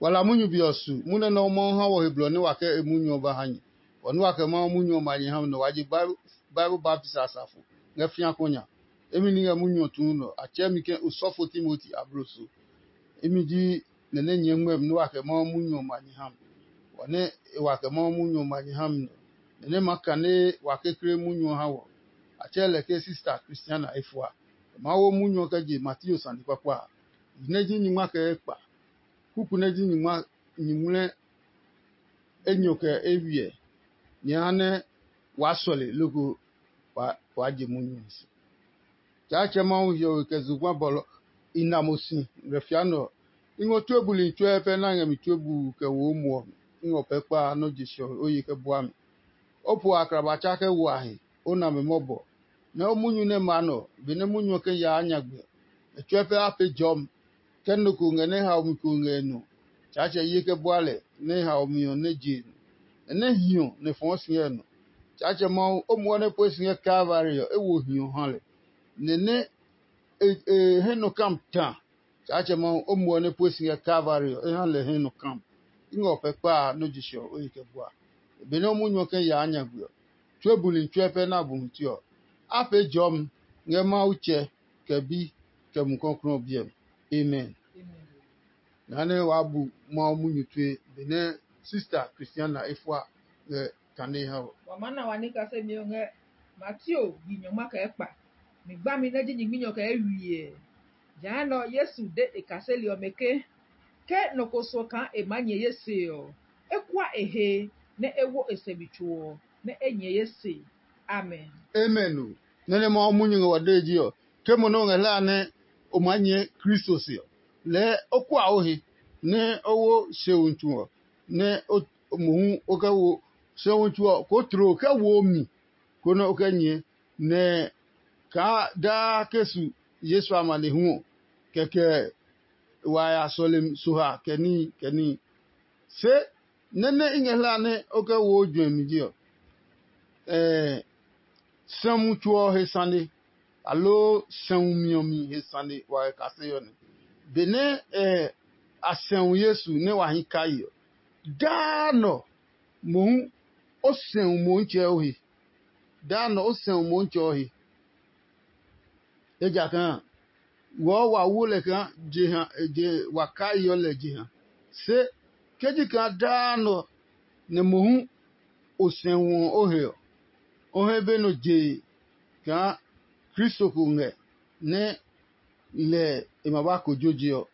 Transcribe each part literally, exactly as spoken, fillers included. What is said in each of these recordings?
Wa la munyu be ɔ su, munyu nɛ Mawu ha wɔ he blɔ nɛ wa kɛ e munyu ɔ ba ha nyɛ. Bɔ nɛ wa kɛ Mawu munyu ɔ ma nyɛ ha mi nɛ wa je Bible baptisi a safo ngɛ fĩa ko nya. Emi ni ngɛ munyu ɔ tuu nɔ, a tsɛɛ mi ke osɔfo Timoti abloso. Imi ji nɛ nɛ nyɛɛ ngmɛmi nɛ wa kɛ Mawu munyu ɔ ma nyɛ ha mi. Bɔ nɛ e wa kɛ Mawu munyu ɔ ma nyɛ ha mi nɔ, nɛ nɛ ma kane wa kekle munyu ɔ ha wɔ. A tsɛɛ lɛ ke sista Kristiana efua. E maa wo munyu ɔ kɛ je Mateo sane kpakpa a. Yi nɛ ji nyingma kɛ ekpa, kuku nɛ ji nyingma nyingmlɛ enyɔ kɛ eywiɛ, nyɛ ha nɛ waa sɔle loko waa je munyu ɔ si. Tsaatsɛ Mawu hiɔwe kɛ zugba bɔlɔ i na mo si ngɛ fia nɛ ɔ. I ngɔ tue buli tsuɛ pɛ nɛ a ngɛ mi tue buu kɛ wo o muɔ mi. I ngɔ pɛ kpa nɔ́ je sɛ ɔ o ye kɛ bua mi. O po aklaba tsa kɛ wo a he, o na mi mɔbɔ. Nɛ o munyu nɛ ma nɔ, benɛ munyu ɔ kɛ yaa nyagbe ɔ, e tsuɛ pɛ a pee jɔmi. Ke nɔ ko ngɛ nɛ haomi ko ngɛ e nɔ, Tsaatsɛ ye kɛ bua lɛ nɛ haomi ɔ nɛ je e nɔ, nɛ nɛ hiɔ nɛ fɔɔ si ngɛ e nɔ. Tsaatsɛ Mawu, o muɔ nɛ pue si ngɛ Kalvari ɔ, e wo hiɔ ha lɛ, nɛ nɛ e hɛ nɔ kam ta. Tsaatsɛ Mawu, o muɔ nɛ pue si ngɛ Kalvari ɔ, e ha lɛ hɛ nɔ kam. I ngɛ o pɛ kpa a nɔ́ ji se ɔ, o yi kɛ bua. Benɛ o munyu ɔ kɛ yaa nyagbe ɔ, tue buli tsuɛ pɛ nɛ a bu mi tue ɔ, a pee jɔmi ngɛ Mawu Tsɛ, kɛ Bi, kɛ Mumi Klɔuklɔu ɔ biɛ mi. Amen. Naa nɛ waa bu Mawu munyu tue benɛ sista Kristiana e fua ngɛ kane ha ɔ. Wa maa na wa ní kasemi ɔ ngɛ Mateo yi nyɔngma kɛ ekpa, mi gbami nɛ ji nyingminyɔ kɛ ewiɛ. Jehanɛ ɔ Yesu de e kaseli ɔmɛ ke, ke nɔ ko suɔ kaa e maa nyɛ ye se ɔ, e kua e he, nɛ e wo e sɛ mi tso ɔ, nɛ e nyɛ ye se. Amen. Amen o. Nɛ nɛ Mawu munyu ngɛ wa dee ji ɔ, ke mo nɛ o ngɛ hlaa nɛ o maa nyɛɛ Kristo se ɔ, lɛɛ o kua o he, nɛ o wo sɛumi tsu ɔ, nɛ mohu o kɛ wo sɛumi tsu ɔ koo tloo kɛ wo mi, konɛ o kɛ nyɛɛ, nɛ kaa daa ke su Yesu amanehlu ɔ, kɛkɛ wa ya sɔlemi so ha kɛ níhi kɛ níhi. Se nɛ nɛ i ngɛ hlaa nɛ o kɛ wo o juɛmi je ɔ, sɛumi tso ɔ he sane, aloo sɛumi ɔ mi he sane wa kɛ kasee ɔ nɛ. Benɛ a sɛu Yesu nɛ wa hi kai ɔ, daa nɔ mohu o sɛu Motsɛ ɔ he. Daa nɔ o sɛu Motsɛ ɔ he. Ejakaa wɔɔ wa wo lɛ kaa jeha je wa kaiɔ lɛ jeha. Se ke ji kaa daa nɔ nɛ mohu o sɛu ɔ o he ɔ, o he be nɔ jee kaa Kristo ko ngɛ nɛ lɛ e ma ba kojo je ɔ,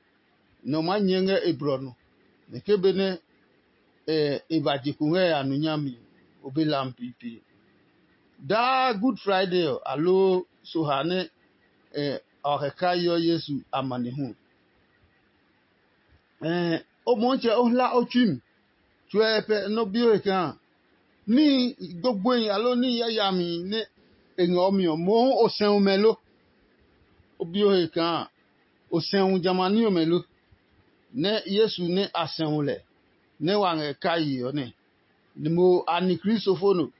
nɛ o maa nyɛɛ ngɛ e blɔ nɔ, nɛ ke benɛ e ba je ko ngɛ ya nu nyami, o be lam piipii. Daa Good Friday ɔ, aloo soha nɛ a wa kɛ kaiɔ Yesu amanehlu ɔ, o Motsɛ o hla o tsui mi, tsuɛ pɛ nɔ bi o he kaa níhi gbogboehi aloo níhi yayami nɛ e ngɛ o mi ɔ, mohu o sɛu mɛ lo? O bi o he kaa o sɛu jamɛ a ní ɔmɛ lo? Nɛ Yesu nɛ a sɛu lɛ nɛ wa ngɛ kai ɔ nɛ, nɛ mo a ni Kristofo no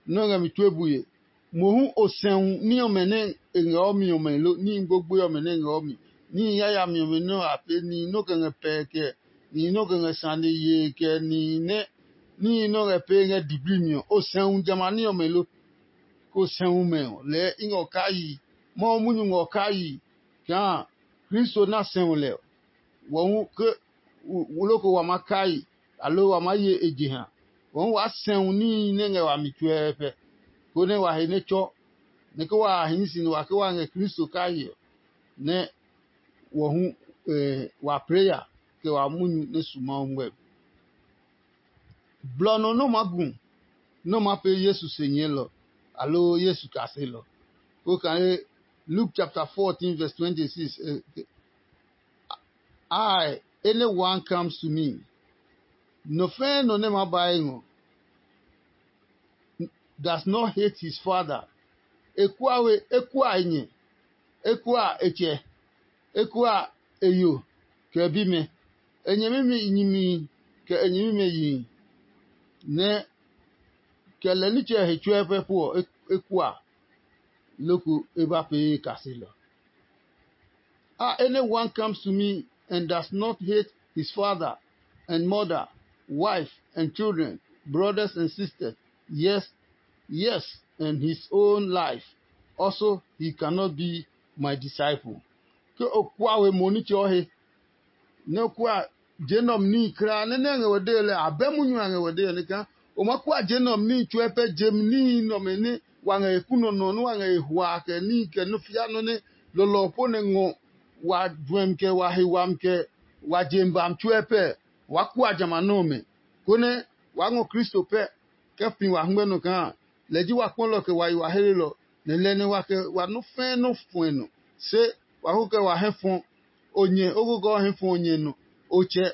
nɛ o ngɛ mi tue bue. Mohu o sɛu ní ɔmɛ nɛ e ngɛ o mi ɔmɛ lo? Níhi gbogboe ɔmɛ nɛ e ngɛ o mi, níhi yayami ɔmɛ nɛ a pee, nihi nɛ o kɛ ngɛ pɛɛ kɛ nihi nɛ o kɛ ngɛ sane yee kɛ nihi nɛ níhi nɛ o ngɛ pee ngɛ diblii mi ɔ, o sɛu jamɛ a ní ɔmɛ lo? Ko sɛu mɛ ɔ, lɛɛ i ngɛ o kai, Mawu munyu ngɛ o kai kaa Kristo nɛ a sɛu lɛ ɔ, wɔ hu ke loko wa maa kai, aloo wa maa ye e jeha. Wɔ hu waa sɛu níhi nɛ ngɛ wami tsuɛɛpɛ, konɛ wa he nɛ tsɔ, nɛ ke wa hii si nɛ wa ke wa ngɛ Kristo kai ɔ, nɛ wɔ hu wa pee ya kɛ wa munyu nɛ su Mawu ngmɛmi. Blɔ nɔ nɛ o maa gu nɛ o maa pee Yesu se nyɛɛlɔ, aloo Yesu kaselɔ. Ko kane Luke chapter fourteen verse twenty-six, eh, I, anyone comes to me. Nɔ fɛɛ nɔ nɛ ma ba e ngɔ does not hate his father. E kua we, e kua e nyɛ, e kua e tsɛ, e kua e yo, kɛ e bimɛ, e nyɛmimɛ nyimihi, kɛ e nyɛmimɛ yihi, nɛ kɛ lɛ nitsɛ he tsuɛ pɛ pu ɔ, e kua, loko e ba pee e kaselɔ. Ah, anyone comes to me and does not hate his father, and mother, wife and children, brothers and sisters, yes, yes, and his own life, also he cannot be my disciple. Ke o kua we mo nitsɛ ɔ he, nɛ o kua je nɛ ɔ mi níhi kulaa nɛ nɛ ngɛ we dee lɛ, abɛ munyu a ngɛ we dee lɛ kaa o ma kua je nɛ ɔ mi níhi tsuɛ pɛ jem níhi nɔmɛ nɛ wa ngɛ he kunɔ nɔ nɛ wa ngɛ he hua kɛ níhi kɛ nɔ fia nɔ nɛ lɔlɔ po nɛ ngɔ wa juɛmi kɛ wa he wami kɛ wa jem bami tsuɛ pɛ, waa kua jamɛ a nɔmɛ, konɛ waa ngɔ Kristo pɛ kɛ fi wa hɛngmɛ nɔ kaa lɛ ji wa kpɔlɔ kɛ wa yi wa helelɔ, nɛ lɛ nɛ wa kɛ wa nɔ́ fɛɛ nɔ́ fuɛ nɔ. Se wa ko kɛ wa hɛ fɔ o nyɛ o ko kɛ o hɛ fɔ o nyɛ nɔ, o tsɛ,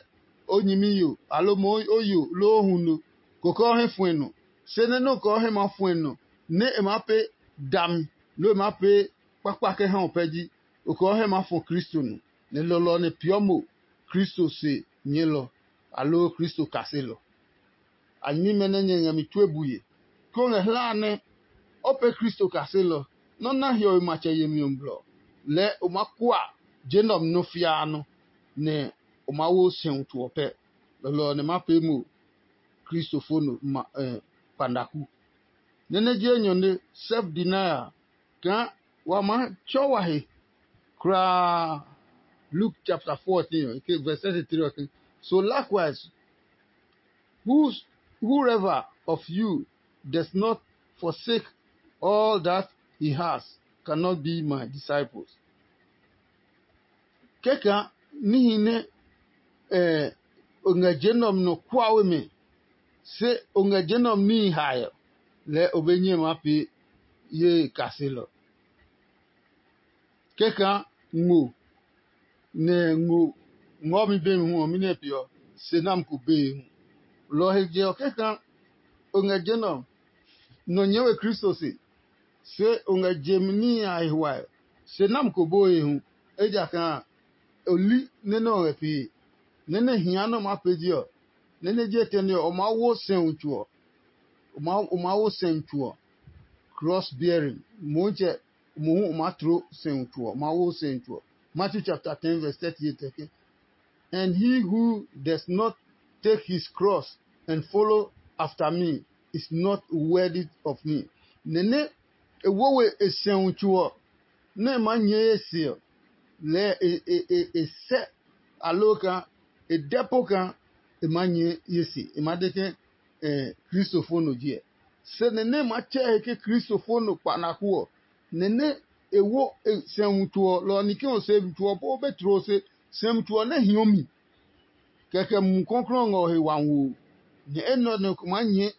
o nyɛmi yo, aloo mo o yo loo o hu no, ko kɛ o hɛ fuɛ nɔ. Se nɛ nɔ́ kɛ o hɛ maa fuɛ nɔ nɛ e maa pee dami loo e maa pee kpakpa kɛ ha o pɛ ji, o kɛ o hɛ maa fɔ Kristo nɔ, nɛ lɔlɔ ɔ nɛ peeɔ mo Kristo se nyɛɛlɔ, aloo Kristo kaselɔ. A nyɛmimɛ nɛ nyɛ ngɛ mi tue bue, ke o ngɛ hlaa nɛ o pee Kristo kaselɔ nɛ o na hiɔwe matsɛ yemi ɔ blɔ, lɛɛ o maa kua je nɛ ɔ mi nɔ́ fiaa nɔ́, nɛ o maa wo sɛumi tso ɔ pɛ. Lɔlɔ ɔ nɛ ma pee mo kristofo no kpanaku. Nɛ nɛ ji enyɔne, self denial, kaa wa maa tsɔ wa he kulaa. Luke chapter fourteen, okay, verse thirty-three, okay. So likewise, whoever of you does not forsake all that he has cannot be my disciples. Kɛkaa níhi nɛ o ngɛ je nɛ ɔ mi nɔ kuawe mi, se o ngɛ je nɛ ɔ mi níhi hae ɔ, lɛɛ o be nyɛ maa pee ye kaselɔ. Kɛkaa ngo nɛ ngo ngɔɔmi bemi hu ɔ, mɛnɔ pe ɔ, se nami ko bee hu. Lɔ ɔ he je ɔ, kɛkaa o ngɛ je nɛ ɔ, nɔ nyɛɛ we Kristo se, se o ngɛ je mi níhi a he huae, se nami ko boo he hu, ejakaa o li nɛ nɛ ɔ ngɛ pee. Nɛ nɛ hia nɛ o maa pee je ɔ, nɛ nɛ je etɛne ɔ, o maa wo sɛumi tso ɔ. O maa wo sɛumi tso ɔ, cross bearing. Motsɛ mohu o maa tloo sɛumi tso ɔ, o maa wo sɛumi tso ɔ. Matthew chapter ten verse thirty-eight ɔ ke, and he who does not take his cross and follow after me is not worthy of me. Nɛ nɛ e wo we e sɛumi tso ɔ, nɛ e maa nyɛɛ ye se ɔ, lɛɛ e sɛ aloo kaa e dɛ po kaa e maa nyɛɛ ye se, e maa de ke kristofo no ji ɛ. Se nɛ nɛ e maa tsɛ he ke kristofo no kpanaku ɔ, nɛ nɛ e wo sɛumi tso ɔ, lɔ ɔ ni ke o sɛumi tso ɔ po o be tloo se sɛumi tso ɔ nɛ hiɔ mi. Kɛkɛ Mumi Klɔuklɔu ngɛ o he wami woo, nɛ enɛ ɔ nɛ ko maa nyɛɛ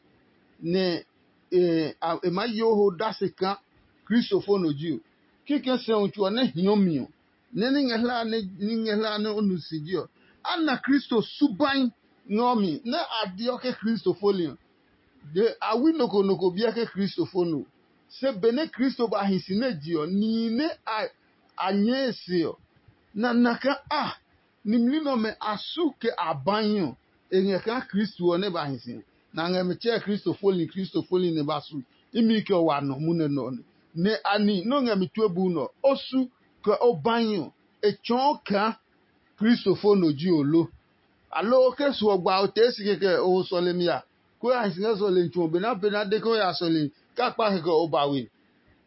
nɛ e maa yo ho dase kaa kristofo no ji o. Kikɛ sɛumi tso ɔ nɛ hiɔ mi ɔ, nɛ ní ngɛ hlaa nɛ ní ngɛ hlaa nɛ o nu si ji ɔ, a na Kristo subai ngɛ ɔ mi nɛ a deɔ ke kristofo li ɔ. De a wi nɔ ko nɔ ko biɛ ke kristofo no. Se benɛ Kristo ba hi si nɛ je ɔ, nihi nɛ a nyɛɛ e se ɔ, nɛ a na kaa a nimli nɛ ɔmɛ a su kɛ a bahi ɔ, e ngɛ kaa Kristo ɔ nɛ ba hi si ɔ. Nɛ a ngɛ mi tsɛɛ Kristo foli Kristo foli nɛ ba su imi kɛ wa nɔ munɛ nɛ ɔ nɛ. Nɛ a ni nɛ o ngɛ mi tue bu nɛ ɔ, o su kɛ o bahi ɔ, e tsɔɔ kaa kristofo no ji o lo? Aloo ke su ɔ gba o tee si kɛkɛ o ho sɔlemi a? Ko ya hi si ngɛ sɔlemi tsu ɔ, benɛ a pee nɛ a de ke o ya sɔlemi, ke a kpa kɛkɛ o ba we.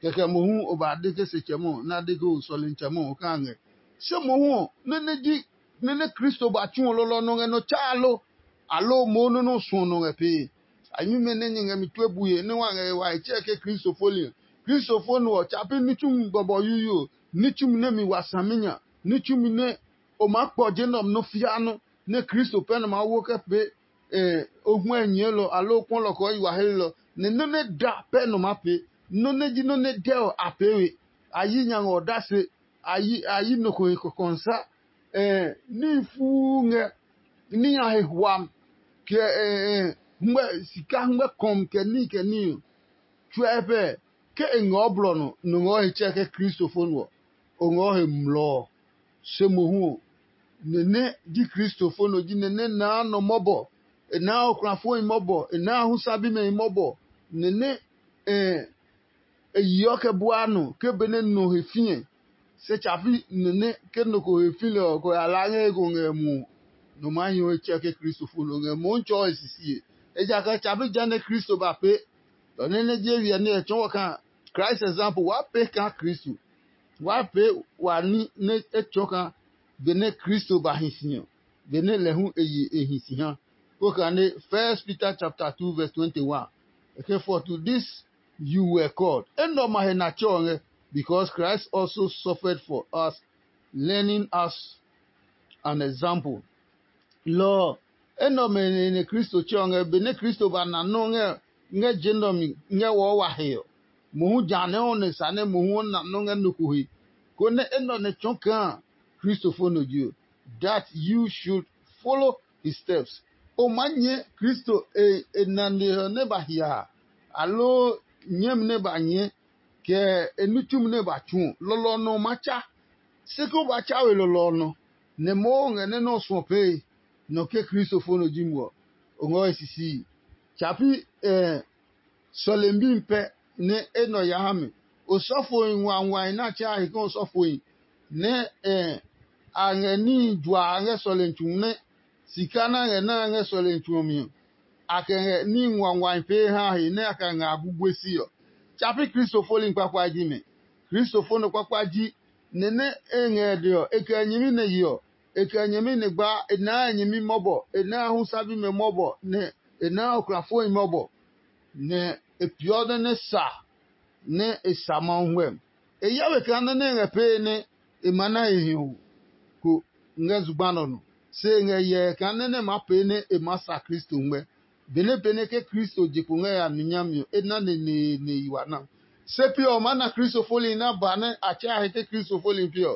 Kɛkɛ mohu o ba de ke se tsɛmɔ nɛ a de ke o sɔlemi tsɛmɔ ɔ ka ngɛ. Se mohu ɔ, nɛ nɛ ji nɛ nɛ Kristo ba tsu ɔ lɔlɔ nɔ ngɛ nɔ tsaa lo? Aloo moo nɔ́ nɛ o suɔ nɔ ngɛ pee? A nyume nɛ nyɛ ngɛ mi tue bue nɛ wa ngɛ wa he tsɛɛ ke Kristo fo li ɔ. Kristo fo no ɔ, tsa pi ní tsumi bɔbɔ yuyu ɔ, ní tsumi nɛ mi wa saminya, ní tsumi nɛ o maa kpɔ je nɛ ɔ nɔ fiaa nɔ, nɛ Kristo pɛ nɛ maa wo kɛ pee o huɛ nyɛɛlɔ aloo kpɔlɔ kɔɔ yi wa helelɔ, nɛ nɔ́ nɛ da pɛ nɔ maa pee. Nɔ́ nɛ ji nɔ́ nɛ dɛ ɔ a pee we. A yi nya ngɛ ɔ dase, a yi nɔ ko he kɔkɔnsa. Níhi fuu ngɛ ní nya he hwam, kɛ sika hɛngmɛ kɔmi kɛ níhi kɛ níhi ɔ. Tsuɛ pɛ, ke e ngɛ o blɔ nɔ, nɔ ngɛ o he tsɛ ke kristofo nɔ ɔ, o ngɛ o he mlɔɔ. Se mohu ɔ, nɛ nɛ ji kristofo nɔ ji nɛ nɛ naa nɔ mɔbɔ, e naa okulafohi mɔbɔ, e naa husa bimɛhi mɔbɔ, nɛ nɛ e yeɔ kɛ buaa nɔ ke benɛ nɔ he fĩɛ. Se tsapi nɛ nɛ ke nɔ ko he fĩ lɛ ɔ, kɛ o ya laa ngɛ he ko ngɛ muɔ. nɔ maa hi ɔ etsɛ ke Kristofo nɔ ngɛ mohu tsɔɔ e sisie. Ejakaa tsa bi ja nɛ Kristo ba pee, lɔ nɛ nɛ je wiɛ nɛ e tsɔɔ kaa Christ example waa pee kaa Kristo. Waa pee wa ní nɛ e tsɔɔ kaa benɛ Kristo ba hi si ɔ, benɛ lɛ hu e ye e hi si ha. Kpokane First Peter chapter two verse twenty-one. E ke for to this you were called. Enɛ ɔ ma he na tsɛ ɔ ngɛ, because Christ also suffered for us, learning us an example. Lɔ ɔ, enɛ ɔmɛ nɛ Kristo tsɛ ɔ ngɛ benɛ Kristo ba na nɔ́ ngɛ ngɛ je nɛ ɔ mi ngɛ wɔɔ wa he ɔ. Mohu ja nɛ ɔ nɛ sa nɛ mohu ɔ na nɔ́ ngɛ nɔ ko he, konɛ enɛ ɔ nɛ tsɔɔ kaa Kristo fo nɔ je ɔ, that you should follow his steps. O maa nyɛɛ Kristo e nane ɔ nɛ ba hia a, aloo nyɛmi nɛ ba nyɛɛ, kɛ e ní tsumi nɛ ba tsu ɔ, lɔlɔ ɔ nɔ ɔ maa tsa. Se ke o ba tsa we lɔlɔ ɔ nɔ, nɛ Mawu ngɛ nɛ nɔ́ ɔ suɔ pee nɔ ke Kristo fo nɔ ji mo ɔ, o ngɔ he sisii. Tsa pi sɔlemi pɛ nɛ enɛ ɔ ya ha mi. Osɔfoi nguanguai nɛ a tsɛ a he ke osɔfoi nɛ a ngɛ níhi juaa ngɛ sɔlemi tsu nɛ sika nɛ a ngɛ na ngɛ sɔlemi tsu ɔ mi ɔ, a kɛ ngɛ níhi nguanguai pee ha a he nɛ a kɛ ngɛ a gugue si ɔ. Tsa pi Kristo foli kpakpa ji mɛ. Kristo fo nɔ kpakpa ji nɛ nɛ e ngɛ e de ɔ, e kɛ nyɛmi nɛ ye ɔ, e kɛ nyɛmi nɛ gbaa, e naa nyɛmi mɔbɔ, e naa hu sa bimɛ mɔbɔ, nɛ e naa okrafohi mɔbɔ, nɛ e peeɔ nɛ nɛ sa nɛ e sa Mawu ngmɛmi. E hyɛ we kaa nɔ́ nɛ e ngɛ pee nɛ e maa na he hiɔwo ko ngɛ zugba nɛ ɔ nɔ, se e ngɛ hyɛ kaa nɔ́ nɛ e maa pee nɛ e maa sa Kristo ngmɛ. Benɛ benɛ ke Kristo je kpo ngɛ ya nu nyami ɔ, e na neneene yi wa na. Se pi ɔ, maa na Kristo foli nɛ a ba nɛ a tsɛ a he ke Kristo foli pi ɔ,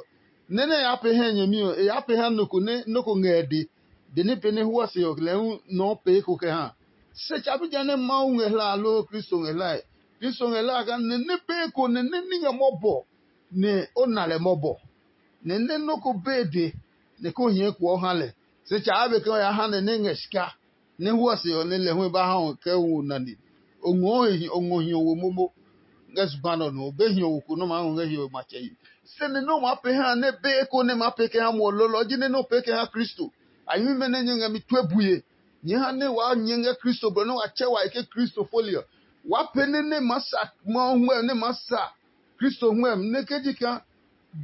nɛ nɛ e yaa pee ha nyɛmi ɔ, e yaa pee ha nɔ ko nɛ nɔ́ ko ngɛ e de. Benɛ benɛ huɔ se ɔ, lɛ hu nɔɔ pee ko kɛ ha. Se tsa bi jã nɛ Mawu ngɛ hlae aloo Kristo ngɛ hlae. Kristo ngɛ hlae kaa nɛ nɛ pee ko nɛ nɛ ní ngɛ mɔbɔ nɛ o na lɛ mɔbɔ. Nɛ nɛ nɔ́ ko be e de nɛ ko hii ekuɔ ha lɛ. Se tsa a be ke o ya ha nɛ nɛ ngɛ sika nɛ huɔ se ɔ nɛ lɛ hu e ba ha ɔ kɛ wo nane. O ngɔɔ he o ngɔ hiɔwo momo ngɛ zugba nɛ ɔ nɔ. O be hiɔwo ko nɛ o maa ngɔ ngɛ hiɔwe matsɛ yi. Se nɛ nɛ o maa pee ha nɛ be eko nɛ maa pee kɛ ha muɔ lɔlɔ ji nɛ nɛ o pee kɛ ha Kristo. A nyɛmimɛ nɛ nyɛ ngɛ mi tue bue. Nyɛɛ ha nɛ waa nyɛ ngɛ Kristo blɔ nɛ wa tsɛ wa he ke Kristo foli ɔ. Waa pee nɛ nɛ maa sa Mawu ngmɛmi nɛ maa sa Kristo ngmɛmi nɛ ke ji kaa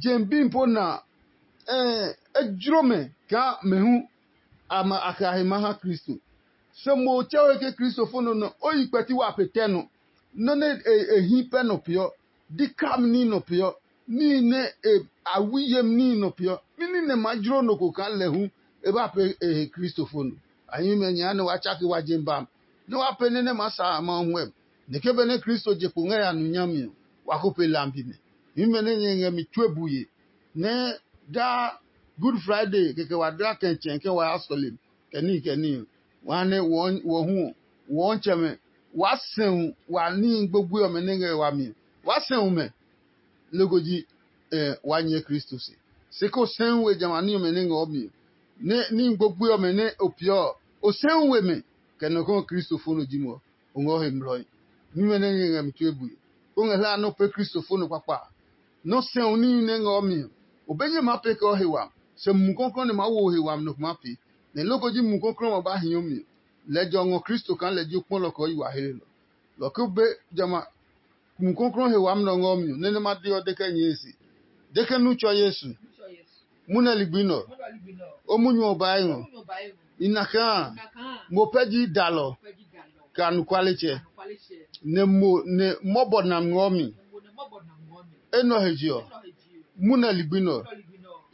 je mi bi po na a, e jló mɛ kaa mɛ hu a ma a kɛ a he maa ha Kristo. Se mo tsɛ we ke Kristo fo nɔ nɛ o yi kpɛti wa pe tɛ nɔ. Nɔ́ nɛ e hí pɛ nɔ peeɔ, di kami ní nɔ peeɔ, níhi nɛ a wi yemi níhi nɔ peeɔ. Mɛni nɛ maa jló nɔ ko kaa lɛ hu e ba pee e he Kristo fo nɔ? A himi mɛ nyɛ ha nɛ waa tsake wa je mi ba mi, nɛ waa pee nɛ nɛ maa sa a Mawu huɛ mi. Nɛ ke benɛ Kristo je kpo ngɛ ya nu nyami ɔ, wa ko pe lambi mɛ. Himi nɛ nyɛ ngɛ mi tsuo buye, nɛ daa Good Friday kɛkɛ wa dla kɛ̃tsɛ ke wa ya sɔlemi, kɛ níhi kɛ níhi ɔ, wa ha nɛ wɔ hu ɔ, wɔɔtsɛmɛ, waa sɛu wa níhi gbogboe ɔmɛ nɛ ngɛ wami ɔ. Waa sɛu mɛ, loko ji wa nyɛ Kristo se. Se ko sɛu we jamɛ a ní ɔmɛ nɛ ngɛ ɔ mi ɔ, nɛ níhi gbogboe ɔmɛ nɛ o peeɔ ɔ, o sɛu we mɛ, kɛ nɔ ko Kristo fo nɔ ji mo ɔ, o ngɛ o he mlɔe. Nímɛ nɛ nyɛ ngɛ mi tue bue, o ngɛ hlaa nɛ o pee Kristo fo nɔ kpakpa a, nɔ́ sɛu níhi nɛ ngɛ ɔ mi ɔ, o be nyɛ maa pee kɛ o he wami, se Mumi Klɔuklɔu nɛ maa wo o he wami nɔ ko maa pee. Nɛ loko ji Mumi Klɔuklɔu ɔ ba hii o mi ɔ, lɛ jɔ ngɔ Kristo kaa lɛ ji o kpɔlɔ kɛ o yi wa helelɔ. Lɔ ke o be jamɛ a Mumi Klɔuklɔu he wami nɛ ɔ ngɛ o mi ɔ, nɛ nɛ ma de ɔ de kɛ nyɛɛ e se. De ke nu tsɔ Yesu. Munɛ ligbi nɛ ɔ, o munyu ɔ ba ngɔ. I na kaa mo pɛ ji dalɔ kɛ anɔkualetsɛ, nɛ mo nɛ mɔbɔ na ngɔ mi. Enɛ ɔ he je ɔ, munɛ ligbi nɛ ɔ,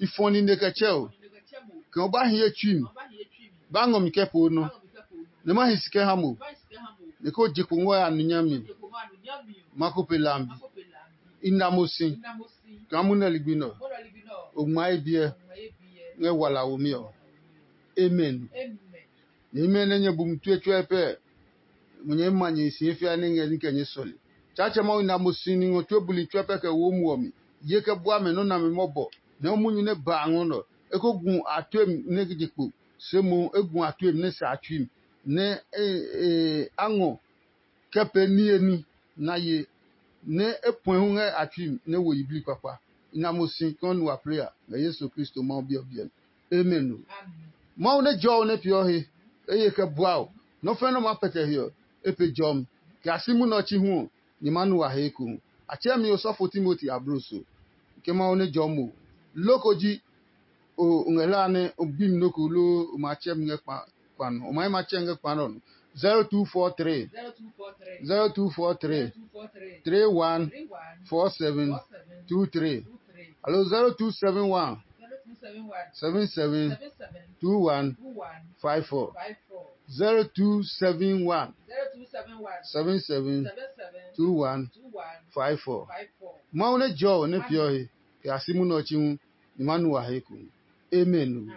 i fɔ nine kɛ tsɛ o, kɛ o ba hi ye tsui mi, ba ngɔ mi kɛ poo nɔ, nɛ ma hi si kɛ ha mo, nɛ ko je kpo ngɔ ya nu nyami. Ma ko pe lambi. I na mo si kaa munɛ ligbi nɛ ɔ, o ngma ye biɛ ngɛ wala womi ɔ. Amen. Nyɛmimɛ nɛ nyɛ bu mi tue tsuɛ pɛ, mo nyɛ ma nyɛ si fia nɛ ngɛ ní kɛ nyɛ sɔle. Tsaatsɛ Mawu na mo si ni ngɔ tue buli tsuɛ pɛ kɛ wo mu ɔ mi. Ye kɛ bua mɛ nɔ́ nami mɔbɔ, nɛ o munyu nɛ ba a ngɔ nɔ. E ko gu a tue mi nɛ je kpo, se mohu e gu a tue mi nɛ sa a tsui mi, nɛ a ngɔ kɛ pee niye ní na ye, nɛ e puɛ hu ngɛ a tsui mi nɛ wo yiblii kpakpa. I na mo si kaa o nu wa plɛ a ngɛ Yesu Kristo Mawu Bi ɔ biɛ mi. Amen o. Mawu nɛ jɔ o nɛ peeɔ he, eye kɛ bua o. Nɔ́ fɛ̃ nɛ o maa pɛtɛ he ɔ, e pe jɔmi. Kɛ a si munɛ ɔ chi hu ɔ, nyɛ maa nu wa he ekohu. A tsɛɛ mi osɔfo Timoti abloso. Ke Mawu nɛ jɔ mo. Loko ji o ngɛ hla nɛ o bi mi nɔ́ ko loo o ma tsɛ mi ngɛ kpa nɔ. O ma yi ma tsɛ ngɛ kpa nɔ. zero two four three, zero two four three, three one four seven two three, alo zero two seven one, seven seven two one five four. zero two seven one, seven seven two one five four. Mawu nɛ jɔ o nɛ peeɔ he kɛ a si munɛ ɔ chi hu, ni ma nu wa he ko. Amen.